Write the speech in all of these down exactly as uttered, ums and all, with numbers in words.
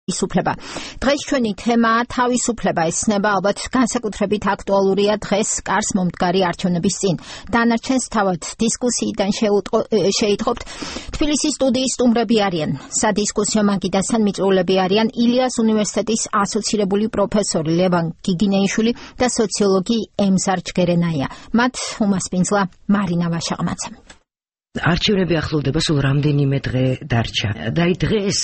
თავისუფლება. დღეს ჩვენი თემა თავისუფლება ესნება, ალბათ განსაკუთრებით აქტუალურია დღეს კარს მომდგარი არჩევნების წინ. დანარჩენს თავად დისკუსიიდან შეიტყობთ. თბილისის სტუდიის სტუმრები არიან. სადისკუსიო მაგიდასთან მიწვეულები არიან ილიას უნივერსიტეტის ასოცირებული პროფესორი ლევან გიგინეიშვილი და სოციოლოგი ემზარ ჯგერენაია. მათ უმასპინძლა მარინა ვაშაღმაცა. არჩევნები ახლოვდება, სულ რამდენიმე დღე დარჩა. და აი დღეს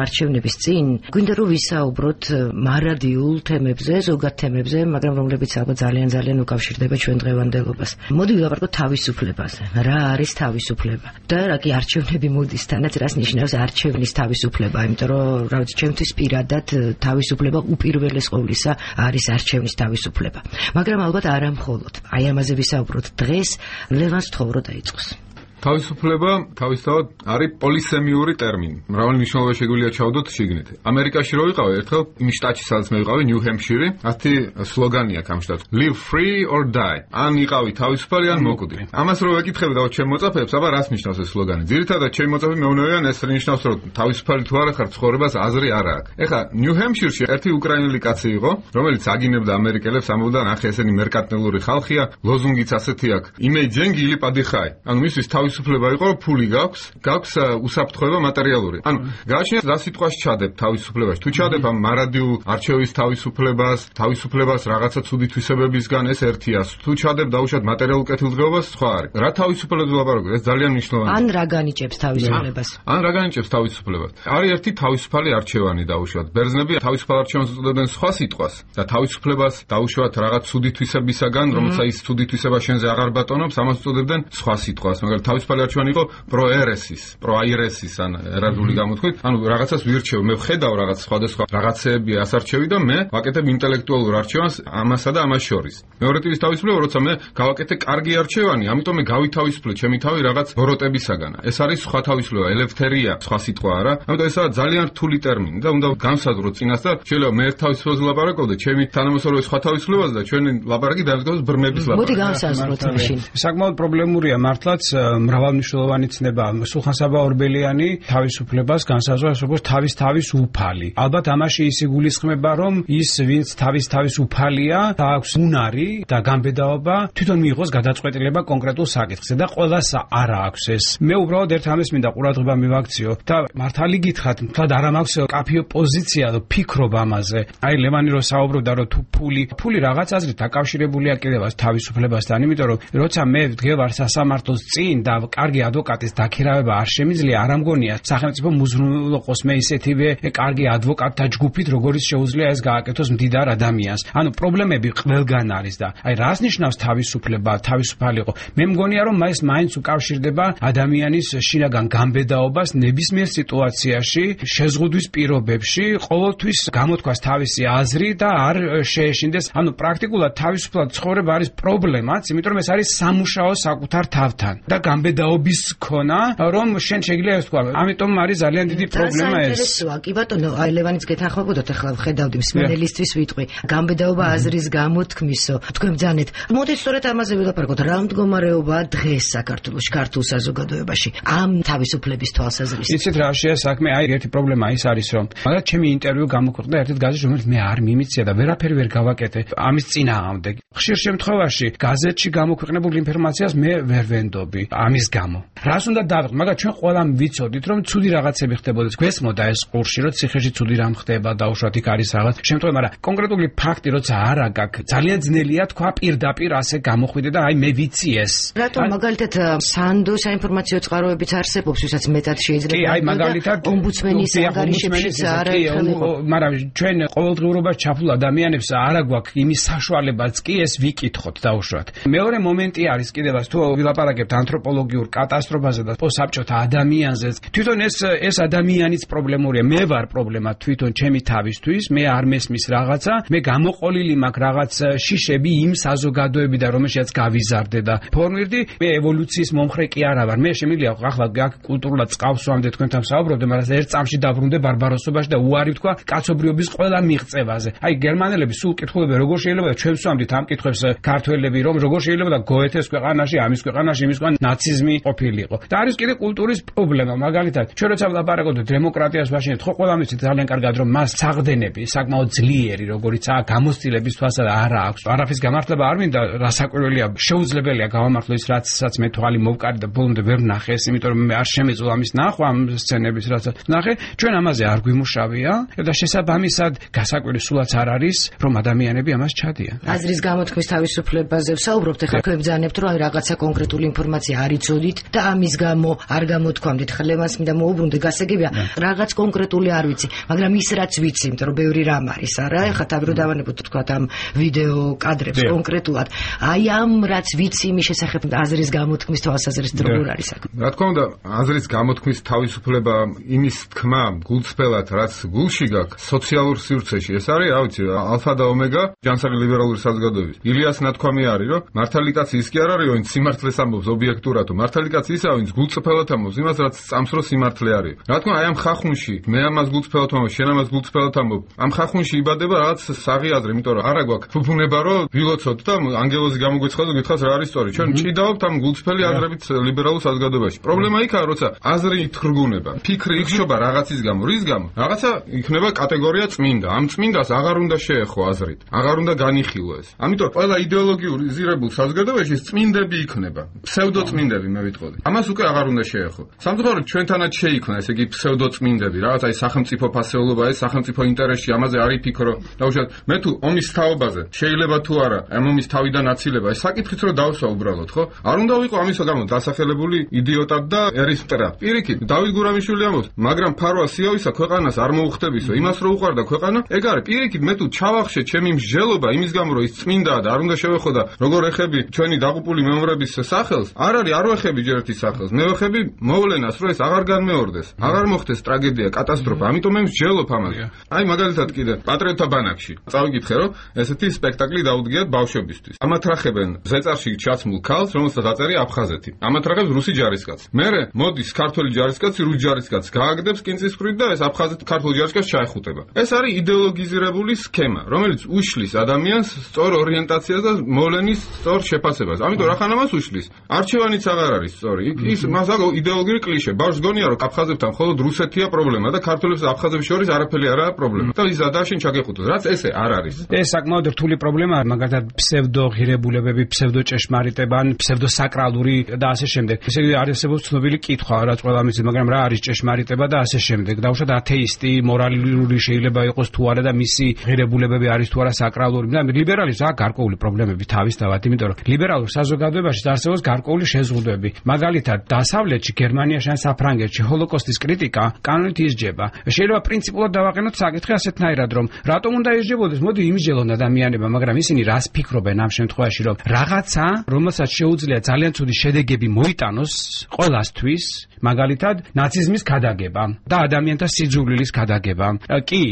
არჩევნების წინ გვინდა რომ ვისაუბროთ მარადიულ თემებზე, ზოგად თემებზე, მაგრამ რომლებიც ალბათ ძალიან ძალიან უკავშირდება ჩვენ დღევანდელობას. მოდი ვილაპარაკოთ თავისუფლებაზე. რა არის თავისუფლება? და რა კი არჩევნები მოდის თანაც რას ნიშნავს არჩევნის თავისუფლება, იმიტომ რომ რა ვიცი, ჩემთვის პირადად თავისუფლება უპირველეს ყოვლისა არის არჩევნის თავისუფლება. მაგრამ ალბათ არა მხოლოდ. აი ამაზე ვისაუბროთ დღეს. ლევანს თხოვრო დაიწყოს. თავისუფლება თავისთავად არის პოლისემიური ტერმინი. მრავალი მნიშვნელობა შეგვიძლია ჩავდოთ შიგნით. ამერიკაში რო ვიყავი ერთხელ იმ შტატში, სადაც მე ვიყავი, ნიუ-ჰემპშირი, ასეთი სლოგანი აქვს ამ შტატს. Live free or die. ან იყავი თავისუფალი, ან მოკვდი. ამას რო ვეკითხები და ჩემ მოწაფეებს, აბა რას ნიშნავს ეს სლოგანი? ძირითადად ჩემი მოწაფე მეუბნებიან, ეს ნიშნავს, რომ თავისუფალი თუ არა ხარ, ცხოვრებას აზრი არა აქვს. ეხლა ნიუ-ჰემპშირში ერთი უკრაინელი კაცი იყო, რომელიც აგინებდა ამერიკელებს, ამბობდა, ნახე, ესენი მერკანტილური ხალხია, ლოზუნგიც ასეთი აქვს. იმეიჯენგი ილი პადიხაი. ანუ მისთვის თავისუფლება იყო, რომ ფული გაქვს, გაქვს უსაფრთხოება მატერიალური. ანუ გააჩნიათ რა სიტყვაში ჩადებ თავისუფლებაში. თუ ჩადებ ამ მარადიულ არჩევის თავისუფლებას, თავისუფლებას რაღაცა ცუდი თვისებებისგან, ეს ერთია. თუ ჩადებ დაუშვათ მატერიალურ კეთილდღეობას, სხვა არის. რა თავისუფლებას ვლაპარაკობ? ეს ძალიან მნიშვნელოვანია. ან რა განიჭებს თავისუფლებას? ან რა განიჭებს თავისუფლებას? არის ერთი თავისუფალი არჩევანი დაუშვათ. ბერძნები თავისუფალ არჩევანს უწოდებდნენ სხვა სიტყვას და თავისუფლებას დაუშვათ რაღაც ცუდი თვისებისაგან, რომელსაც ის ცუდი თვისება შენზე აღარ ბატონობს, ამას უწოდებდნენ სხვა სიტყვას. მაგრამ თავისუფალი არჩევანი იყო პროერესის, პროაირესის ან ერარული გამოთქვით. ანუ რაღაცას ვირჩევ, მე ვხედავ რაღაც სხვადასხვა რაღაცეები ასარჩევი და მე ვაკეთებ ინტელექტუალურ არჩევანს ამასა და ამას შორის. მეორე ტიპის თავისუფლება, როცა მე გავაკეთე კარგი არჩევანი, ამიტომ მე გავითავისუფლე ჩემი თავი რაღაც ბოროტებისაგან. ეს არის სხვა თავისუფლება, ელევთერია, სხვა სიტყვა არა. ამიტომ ესაა ძალიან რთული ტერმინი და უნდა განსაზღვროთ წინასწარ. შეიძლება მე ერთ თავისუფლებას ვლაპარაკობ და ჩემი თანამოსწორე სხვა თავისუფლებაზე და ჩვენი ლაპარაკი დაემსგავსოს ბრმების ლაპარაკი. მოდი განსაზღვროთ მაშინ. საკმაოდ პრობლემურია მართლაც მრავალმნიშვნელოვანი ცნება. სულხან-საბა ორბელიანი თავისუფლებას განსაზღვრავს როგორც თავის თავის უფალი. ალბათ ამაში ის იგულისხმება, რომ ის ვინც თავის თავის უფალია, აქვს უნარი და გამბედაობა თვითონ მიიღოს გადაწყვეტილება კონკრეტულ საკითხზე და ყველას არა აქვს ეს. მე უბრალოდ ერთ ამის მინდა ყურადღება მივაქციო და მართალი გითხრათ, თქად არ მაქვს კაფეო პოზიცია და ფიქრობ ამაზე. აი ლევანი რო საუბრობდა, რომ თუ ფული, ფული რაღაც აზრით დაკავშირებულია კიდევ თავისუფლებასთან, იმიტომ რომ როცა მე ვდგევარ სასამართლოს წინ და კარგი ადვოკატის დაქირავება არ შემიძლია, არ ამგონია სახელმწიფო მუზრუნველყოს მე ისეთივე კარგი ადვოკატთა ჯგუფით, როგორც შეუძლია ეს გააკეთოს მდიდარ ადამიანს. ანუ პრობლემები ყველგან არის და აი რას ნიშნავს თავისუფლება, თავისუფალიყო? მე მგონია რომ ეს მაინც უკავშირდება ადამიანის შინაგან გამბედაობას ნებისმიერ სიტუაციაში, შეზღუდვის პირობებში, ყოველთვის გამოთქვას თავისი აზრი და არ შეეშინდეს. ანუ პრაქტიკულად თავისუფლად ცხოვრება არის პრობლემაც, იმიტომ რომ ეს არის სამუშაო საკუთარ თავთან და გამბედაობის ქონა, რომ შენ შეგიძლია ეს თქვა. ამიტომ არის ძალიან დიდი პრობლემა ეს. საინტერესოა, კი ბატონო, აი ლევანიც გეთანხმებოდოთ, ახლა ვხედავდი მსმენელისთვის ვიტყვი. გამბედაობა აზრის გამოთქმისო, თქვენ ბძანეთ. მოდით სწორედ ამაზე ვილაპარაკოთ. რა მდგომარეობაა დღეს საქართველოში, ქართულ საზოგადოებაში ამ თავისუფლების თვალსაზრისით? იცით რა შეა საქმე? აი ერთი პრობლემა ის არის, რომ მაგათ ჩემი ინტერვიუ გამოქვეყნდა ერთ-ერთ გაზეთში, რომელიც მე არ მიმიცია და ვერაფერი ვერ გავაკეთე ამის წინააღმდეგ. ხშირ შემთხვევაში გაზეთში გამოქვეყნებულ ინფორმაციას მე ვერ ვენდობი ამის გამო. რას უნდა დავიღოთ? მაგრამ ჩვენ ყველამ ვიცოდით, რომ ცუდი რაღაცები ხდებოდეს. გვესმოდა ეს ყურში, რომ ციხეში ცუდი რამ ხდება, დაუშვათ იქ არის რაღაც შემთხვევა, მაგრამ კონკრეტული ფაქტი როცა არა გაქვს, ძალიან ძნელია თქვა პირდაპირ ასე გამოხვიდე და აი მე ვიცი ეს. რატომ მაგალითად სანდო საინფორმაციო წყაროებიც არსებობს, ვისაც მეტად შეიძლება. კი, აი მაგალითად ომბუდსმენის ანგარიშებშიც არა ერთხელ იყო. მაგრამ ჩვენ ყოველდღიურობაში ჩაფლულ ადამიანებს არა გვაქვს იმის საშუალებაც კი ეს ვიკითხოთ დაუშვათ. მეორე მომენტი არის კიდევაც თუ ვილაპარაკებთ ანთროპოლოგიურ კატასტროფაზე და საბჭოთა ადამიანზე. თვითონ ეს ეს ადამიანიც პრობლემურია. მე ვარ პრობლემა თვითონ ჩემი თავისთვის, მე არ მესმის რაღაცა, მე გამოყოლილი მაქვს რაღაც შიშები იმ საზოგადოებიდან, რომელშიც გავიზარდე და ფორმირდი, მე ევოლუციის მომხრე კი არა ვარ. მე შემიძლია ახლა აქ კულტურულად წყავს ვამდე თქვენთან საუბრობდე, მაგრამ ერთ წამში დაბრუნდე ბარბაროსობაში და უარი ვთქვა კაცობრიობის ყველა მიღწევაზე. აი გერმანელები სულ კითხულობენ, როგორ შეიძლება ჩვენ ვსვამდით ამ კითხვებს ქართველები, რომ როგორ შეიძლება და გოეთეს ქვეყანაში, ამის ქვეყანაში, იმის ქვეყანაში ნაციზმი ყოფილიყო. და არის კიდე კულტურის პრობლემა, მაგალითად, ჩვენ როცა ვლაპარაკობთ დემოკრატიას ვაშინეთ, ხო ყველამ იცით ძალიან კარგად რომ მას საღდენები, საკმაოდ ძლიერი, როგორიცაა გამოცდილების თვალსა არა აქვს. არაფრის გამართლება არ მინდა, რასაკვირველია, შეუძლებელია გავამართლო ის რაც რაც მე თვალი მოვკარი და ბოლომდე ვერ ვნახე ეს, იმიტომ რომ მე არ შემეძლო ამის ნახვა ამ სცენების რაც ვნახე. ჩვენ ამაზე არ გვიმუშავია და შესაბამისად გასაკვირი სულაც არ არის, რომ ადამიანები ამას ჩადიან. აზრის გამოთქმის თავისუფლებაზე ვსაუბრობთ, ეხლა თქვენ ბრძანებთ, რომ აი რაღაცა კონკრეტული ინფორმაცია არ იცოდით და ამის გამო არ გამოთქვამდით ხლემას, მინდა მოუბრუნდე, გასაგებია, რაღაც კონკრეტული არ ვიცი, მაგრამ ის რაც ვიცი, იმიტომ რომ ბევრი რამ არის, არა, ეხლა თავი რომ დავანებოთ თქვა ამ ვიდეო კადრებს კონკრეტულად, აი ამ რაც ვიცი იმის შესახებ აზრის გამოთქმის თვალსაზრისით როგორ არის აქ? რა თქმა უნდა, აზრის გამოთქმის თავისუფლება იმის თქმა გულწრფელად, რაც გულში გაქვს, სოციალურ სივრცეში, ეს არის, რა ვიცი, ალფა და ომეგა ჯანსაღი ლიბერალური საზოგადოების. ილიას ნათქვამი არის, რომ მართალი კაცი ის კი არ არის, ვინც სიმართლეს ამბობს ობიექტურად, მართალი კაცი ისაა, ვინც გულწრფელად ამბობს იმას, რაც წამსრო სიმართლე არის. რა თქმა უნდა, აი ამ ხახუნში, მე ამას გულწრფელად ამბობ, შენ ამას გულწრფელად ამბობ. ამ ხახუნში იბადება რაღაც საღი აზრი, იმიტომ რომ არა გვაქვს ფუფუნება, რომ ვილოცოთ და ანგელოზი გამოგვეცხადოს, გითხავს რა არის სწორი. ჩვენ ჭიდაობთ ამ გულწრფელი აზრებით ლიბერალურ საზოგადოებაში. პრობლემა იქაა, როცა აზრი თხრგუნება, ფიქრი იქშობა რაღაცის გამო, რის გამო? რაღაცა იქნება კატეგორია წმინდა. ამ წმინდას აღარ უნდა შეეხო აზრით, აღარ უნდა განიხილო ეს. ამიტომ ყველა იდეოლოგიურიზირებულ საზოგადოებაში წმინდები იქნება. ფსევდოწმინდები მე ვიტყოდი. ამას უკვე აღარ უნდა შეეხო. სამწუხაროდ ჩვენთანაც შეიქმნა, ესე იგი ფსევდოწმინდები, რაღაც აი სახელმწიფო ფასეულობა, ეს სახელმწიფო ინტერესში, ამაზე არ იფიქრო. დაუშვათ, მე თუ ომის თაობაზე შეიძლება თუ არა, ამ ომის თავიდან აცილება, ეს საკითხიც რო დავსვა უბრალოდ, ხო? არ უნდა ვიყო ამის გამო დასახელებული იდიოტად და ერისმტრა. პირიქით, დავით გურამიშვილი ამბობს, მაგრამ ფარვა სიავისა ქვეყანას არ მოუხდებისო, იმას რო უყარდა ქვეყანა, ეგ არის. პირიქით, მე თუ ჩავახშე ჩემი მსჯელობა იმის გამო, რომ ის წმინდაა და არ უნდა შევეხო და როგორ ეხები ჩვენი დაღუპული მემორების სახელს, არ არის, არ ვეხები ჯერ ერთი სახელს. მე ვეხები მოვლენას, რომ ეს აღარ განმეორდეს, აღარ მოხდეს ტრაგედია, კატასტროფა. ამიტომ მე მსჯელობ ამაზე. აი მაგალითად კიდე პატრიოტთა ბანაკში წავიკითხე, რომ ესეთი სპექტაკლი დაუდგიათ ბავშვებისთვის. ამათრახებენ ზეწარში ჩაცმულ ქალს, რომელსაც დაწერია აფხაზეთი. ამათრახებს რუსი ჯარისკაცი. მერე მოდის ქართველი ჯარისკაცი, რუს ჯარისკაცს გააგდებს კინწისყრით და ეს აფხაზეთი ქართველ ჯარისკაცს ჩაეხუტება. ეს არის იდეოლოგიზირებული სქემა, რომელიც უშლის ადამიანს სწორ ორიენტაციას და მოვლენის სწორ შეფასებას. ამიტომ რახან ამას უშლის? არჩევანიც აღარ არის სწორი. ის მას აქვს იდეოლოგიური კლიშე. ბავშვს გონია, რომ აფხაზებთან მხოლოდ რუსეთია პრობლემა და ქართველებს და აფხაზებს შორის არაფერი არაა პრობლემა. და ის ადაშენ ჩაგეხუტოს, რაც ესე არ არის. ეს საკმაოდ რთული პრობლემაა, მაგალითად ფსევდოღირებულებები, ფსევდოჭეშმარიტება, ფსევდოსაკრალური და ასე შემდეგ. ესე იგი არსებობს ცნობილი კითხვა, რაც ყველა მიცის, მაგრამ რა არის ჭეშმარიტება და ასე შემდეგ. დაუშვათ ათეისტი, მორალური შეიძლება იყოს თუ არა და მისი ღირებულებები არის თუ არა საკრალური. და ლიბერალიზმს აქვს გარკვეული პრობლემები თავისთავად, იმიტომ რომ ლიბერალურ საზოგადოებაში არსებობს გარკვეული შეზღუდვები. მაგალითად, დასავლეთში, გერმანიაში ან საფრანგეთში ჰოლოკოსტის კრიტიკა კანონით ისჯება. შეიძლება პრინციპულად დავაყენოთ საკითხი ასეთნაირად, რომ რატომ უნდა ისჯებოდეს? მოდი იმისჯელონ ადამიანება, მაგრამ ისინი რას ფიქრობენ ამ შემთხვევაში, რომ რაღაცა, რომელსაც შეუძლია ძალიან ცუდი შედეგები მოიტანოს ყველასთვის, მაგალითად, ნაციზმის გადაგება და ადამიანთა სიძულვილის გადაგება. კი,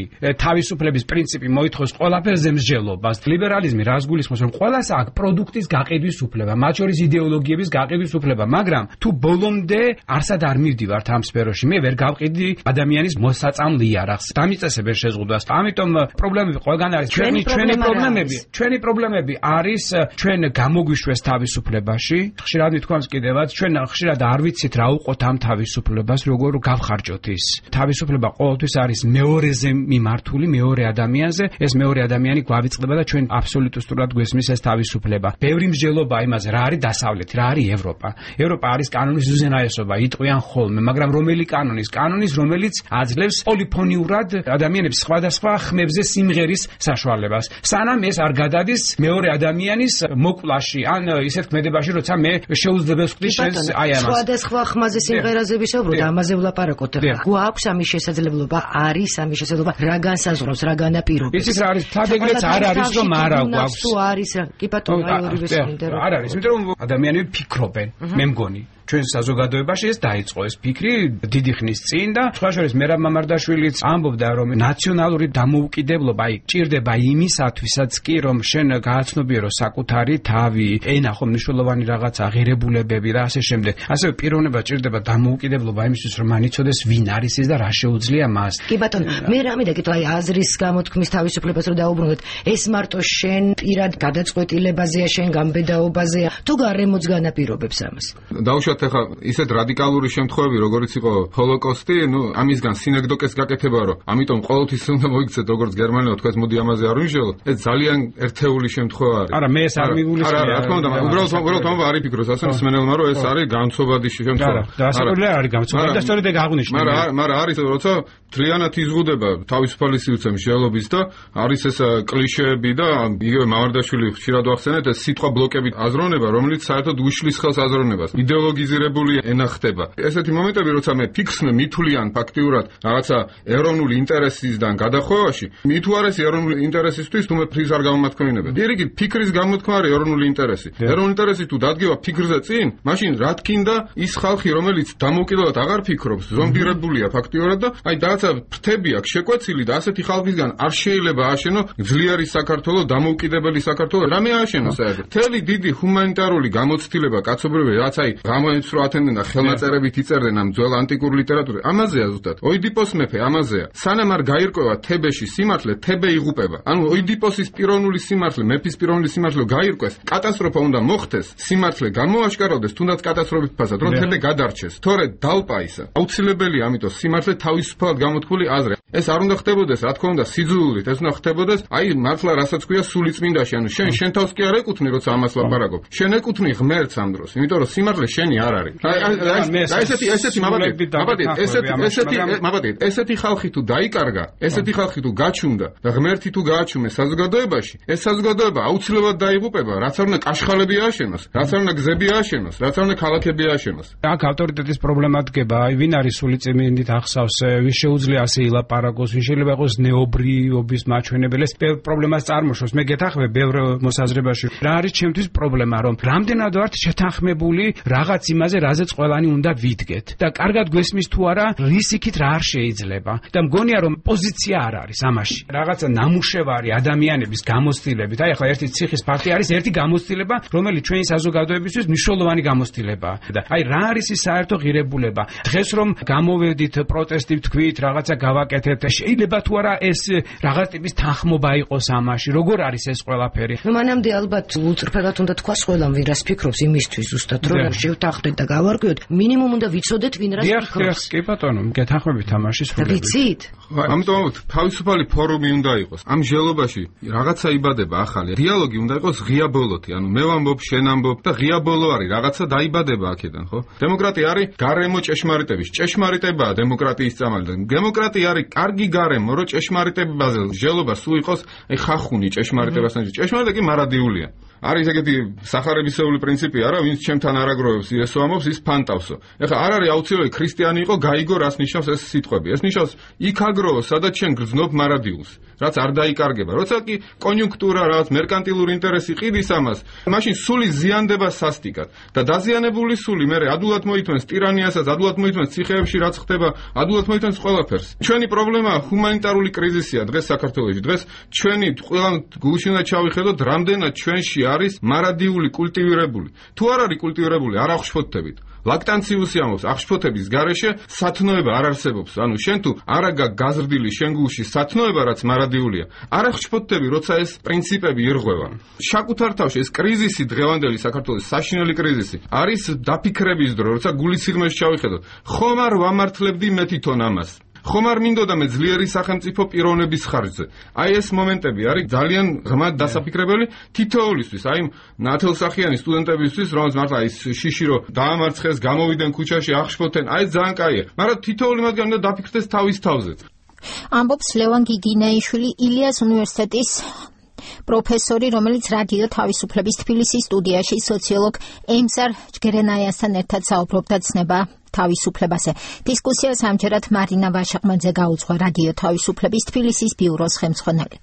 თავისუფლების პრინციპი მოითხოვს ყველაფერზე მსჯელობას. ლიბერალიზმი რას გულისხმობს, რომ ყველას აქვს პროდუქტის გაყიდვის უფლება, მათ შორის იდეოლოგიების გაყიდვის უფლება, მაგრამ თუ ბოლომდე არსად არ მივდივართ ამ სფეროში, მე ვერ გავყიდი ადამიანის მოსაწამ ლიარაღს, დამიწესებენ შეზღუდვას. ამიტომ პრობლემები ყველგან არის. ჩვენი ჩვენი პრობლემები, ჩვენი პრობლემები არის ჩვენ გამოგვიშვეს თავისუფლებაში. ხშირად მithქვამს კიდევაც, ჩვენ ხშირად არ ვიცით რა უყოთ ამ თავისუფლებას, როგორ გავხარჯოთ ის. თავისუფლება ყოველთვის არის მეორეზე მიმართული, მეორე ადამიანზე. ეს მეორე ადამიანი გვავიწყდება და ჩვენ აბსოლუტურად გვესმის ეს თავისუფლება. ბევრი მსჯელობა იმაზე, რა არის დასავლეთი, რა არის ევროპა. ევროპა არის კანონის უზენაესობა, იტყვიან ხოლმე, მაგრამ რომელი კანონის? კანონის, რომელიც აძლევს პოლიფონიურად ადამიანებს სხვადასხვა ხმებზე სიმღერის საშუალებას. სანამ ეს არ გადადის მეორე ადამიანის მოკლაში, ან ისეთ ქმედებაში, როცა მე შეუძლებელს ვხდი შენს აი ამას. სხვადასხვა ხმაზე სიმღერაზე ვისაუბროთ, ამაზე ვლაპარაკოთ. გვაქვს ამის შესაძლებლობა, არის ამის შესაძლებლობა, რა განსაზღვრავს, რა განაპირობებს. ისიც რა არის, თადეგრეც არ არის, რომ არა გვაქვს. თუ არის, კი ბატონო, აი ორივე სმინდა რომ არ არის, იმიტომ რომ ადამიანები ფიქრობენ, მე მგონი. ჩვენ საზოგადოებაში ეს დაიწყო ეს ფიქრი დიდი ხნის წინ და სხვა შორის მერაბ მამარდაშვილიც ამბობდა, რომ ნაციონალური დამოუკიდებლობა აი ჭირდება იმისათვისაც კი, რომ შენ გააცნობიერო საკუთარი თავი, ენა ხო მნიშვნელოვანი რაღაცა, ღირებულებები და ასე შემდეგ. ასევე პიროვნება ჭირდება დამოუკიდებლობა იმისთვის, რომ მან იცოდეს ვინ არის ის და რა შეუძლია მას. კი ბატონო, მე რა მინდა კითხო, აი აზრის გამოთქმის თავისუფლებას რო დაუბრუნდეთ, ეს მარტო შენ პირად გადაწყვეტილებაზეა, შენ გამბედაობაზეა, თუ გარემოც განაპირობებს ამას? დაუშვათ ზოგადად ახლა ისეთ რადიკალური შემთხვევები, როგორიც იყო ჰოლოკოსტი, ნუ ამისგან სინეკდოკეს გაკეთება, რომ ამიტომ ყოველთვის უნდა მოიქცეთ, როგორც გერმანელო თქვას, მოდი ამაზე არ ვიმშველოთ. ეს ძალიან ერთეული შემთხვევა არის. არა, მე ეს არ მიგულისხმია. არა, რა თქმა უნდა, უბრალოდ უბრალოდ ამბობ არ იფიქროს, ასე მსმენელმა, რომ ეს არის განცობადი შემთხვევა. არა, დასაკვირველი არ არის განცობადი და სწორედ ეგ აღნიშნე. მაგრამ მაგრამ არის, როცა თლიანად იზღუდება თავისუფალი სივრცე მსჯელობის და არის ეს კლიშეები და იგივე მამარდაშვილი ხშირად ვახსენეთ, ეს სიტყვა ბლოკებით აზროვნება, რომელიც საერთოდ უშლის ხელს აზროვნებას. იდეოლოგიზირებული ენა ხდება. ესეთი მომენტები, როცა მე ფიქრს მithulიან ფაქტიურად რაღაცა ეროვნული ინტერესისგან გადახვევაში, მით უარესი ეროვნული ინტერესისთვის თუ მე ფიქრს არ გამომათქვინებენ. პირიქით, ფიქრის გამოთქმა არის ეროვნული ინტერესი. ეროვნული ინტერესი თუ დადგება ფიქრზე წინ, მაშინ რა თქინდა ის ხალხი, რომელიც დამოუკიდებლად აღარ ფიქრობს, ზომბირებულია ფაქტიურად და აი რაღაცა ფრთები აქვს შეკვეცილი და ასეთი ხალხისგან არ შეიძლება ააშენო ძლიერი საქართველო, დამოუკიდებელი საქართველო. რამე ააშენო საერთოდ. მთელი დიდი ჰუმანიტარული გამოცდილება კაცობრიობები, რაც აი გამოიწვია რო ათენდნენ და ხელნაწერებით იწერდნენ ამ ძველ ანტიკურ ლიტერატურაზე. ამაზეა ზუსტად. ოიდიპოს მეფე ამაზეა. სანამ არ გაირკვევა თებეში სიმართლე, თებე იღუპება. ანუ ოიდიპოსის პიროვნული სიმართლე, მეფის პიროვნული სიმართლე გაირკვეს, კატასტროფა უნდა მოხდეს, სიმართლე გამოაშკარავდეს, თუნდაც კატასტროფით ფასად, რომ თებე გადარჩეს. თორე დალპა ისა. აუცილებელია ამიტომ სიმართლე თავისუფლად გამოთქმული აზრი. ეს არ უნდა ხდებოდეს, რა თქმა უნდა, სიძულვით, ეს უნდა ხდებოდეს, აი მართლა რასაც ქვია სულიწმინდაში, ანუ შენ შენ თავს კი არ ეკუთვნი, როცა ამას ლაპარაკობ. შენ ეკუთვნი ღმერთს ამ დროს, იმიტომ რომ სიმართლე შენი არ არის. აი აი ესეთი ესეთი მაბადით, მაბადით, ესეთი ესეთი მაბადით, ესეთი ხალხი თუ დაიკარგა, ესეთი ხალხი თუ გაჩუნდა და ღმერთი თუ გააჩუმეს საზოგადოებაში, ეს საზოგადოება აუცილებლად დაიღუპება, რაც არ უნდა კაშხალები ააშენოს, რაც არ უნდა გზები ააშენოს, რაც არ უნდა ქალაქები ააშენოს. აქ ავტორიტეტის პრობლემა დგება, აი ვინ არის სულიწმინდით ახსავს, ვის შეუძლია ასე ილაპარაკოს, ვის შეიძლება იყოს ნეობრიობის მაჩვენებელი, ეს პრობლემას წარმოშობს. მე გეთანხმებ ბევრ მოსაზრებაში. რა არის ჩემთვის პრობლემა, რომ რამდენად ვართ შეთანხმებული რაღაც იმაზე, რაზეც ყველანი უნდა ვიდგეთ და კარგად გვესმის თუ არა, რის იქით რა არ შეიძლება. და მგონია რომ პოზიცია არ არის ამაში. რაღაცა ნამუშევარი ადამიანების გამოცდილებით. აი ახლა ერთი ციხის ფაქტი არის ერთი გამოცდილება, რომელიც ჩვენი საზოგადოებისთვის მნიშვნელოვანი გამოცდილებაა. და აი რა არის ის საერთო ღირებულება? დღეს რომ გამოვედით პროტესტით თქვით, რაღაცა გავაკეთეთ, შეიძლება თუ არა ეს რაღაც ტიპის თანხმობა იყოს ამაში. როგორ არის ეს ყველაფერი? ნუ მანამდე ალბათ უწრფელად უნდა თქვას ყველამ, ვინ რას ფიქრობს იმისთვის ზუსტად, რომ შევთანხმდეთ და გავარკვიოთ, მინიმუმ უნდა ვიცოდეთ, ვინ რას ფიქრობს. კი ბატონო, გეთანხმებით ამაში სრულებით. ვიცით? ამიტომ თავისუფალი ფორუმი უნდა იყოს. ამ ჟელობაში რაღაცა იბადება ახალი. დიალოგი უნდა იყოს ღია ბოლოთი, ანუ მე ვამბობ, შენ ამბობ და ღია ბოლო არის, რაღაცა დაიბადება აქედან, ხო? დემოკრატია არის გარემო ჭეშმარიტების. ჭეშმარიტებაა დემოკრატიის წამალი. დემოკრატია არის კარგი გარემო, რომ ჭეშმარიტებაზე ჟელობა სულ იყოს, აი ხახუნი ჭეშმარიტებასთან. ჭეშმარიტება კი მარადიულია. არის ეგეთი სახარებისეული პრინციპი არა, ვინც ჩემთან არაგროვებს, ისო ამბობს, ის ფანტავსო. ეხლა არ არის აუცილებელი ქრისტიანი იყო, გაიგო რას ნიშნავს ეს სიტყვები. ეს ნიშნავს იქ აგროვო, სადაც შენ გრძნობ მარადიულს, რაც არ დაიკარგება. როცა კი კონიუნქტურა, რაღაც მერკანტილური ინტერესი ყიდის ამას, მაშინ სული ზიანდება სასტიკად და დაზიანებული სული მე ადულად მოითმენს ტირანიასაც, ადულად მოითმენს ციხეებში რაც ხდება, ადულად მოითმენს ყველაფერს. ჩვენი პრობლემაა ჰუმანიტარული კრიზისია დღეს საქართველოში. დღეს ჩვენი ყველა გულში უნდა ჩავიხედოთ, რამდენად ჩვენში არის მარადიული კულტივირებული. თუ არ არის კულტივირებული, არ აღშფოთებით. ლაქტანციუსი ამბობს, აღშფოთების გარეშე სათნოება არ არსებობს. ანუ შენ თუ არა გაზრდილი შენ გულში სათნოება, რაც მარადიულია, არ აღშფოთები, როცა ეს პრინციპები ირღვევა. საკუთარ თავში ეს კრიზისი დღევანდელი საქართველოს საშინელი კრიზისი არის დაფიქრების დრო, როცა გულის სიღრმეში ჩავიხედოთ. ხომ არ ვამართლებდი მე თვითონ ამას? ხომ არ მინდოდა მე ძლიერი სახელმწიფო პიროვნების ხარჯზე? აი ეს მომენტები არის ძალიან ღრმად დასაფიქრებელი თითოეულისთვის, აი ნათელსახიანი სტუდენტებისთვის, რომელს მართლა ის შიში რო დაამარცხეს, გამოვიდნენ ქუჩაში, აღშფოთენ, აი ძალიან კაია. მაგრამ თითოეული მათგანი უნდა დაფიქრდეს თავის თავზე. ამბობს ლევან გიგინეიშვილი, ილიას უნივერსიტეტის პროფესორი, რომელიც რადიო თავისუფლების თბილისის სტუდიაში სოციოლოგ ემსარ ჯგერენაიასთან ერთად საუბრობდა ცნება თავისუფლებაზე. დისკუსიას ამჯერად მარინა ვაშაყმაძე გაუძღვა რადიო თავისუფლების თბილისის ბიუროს ხელმძღვანელი.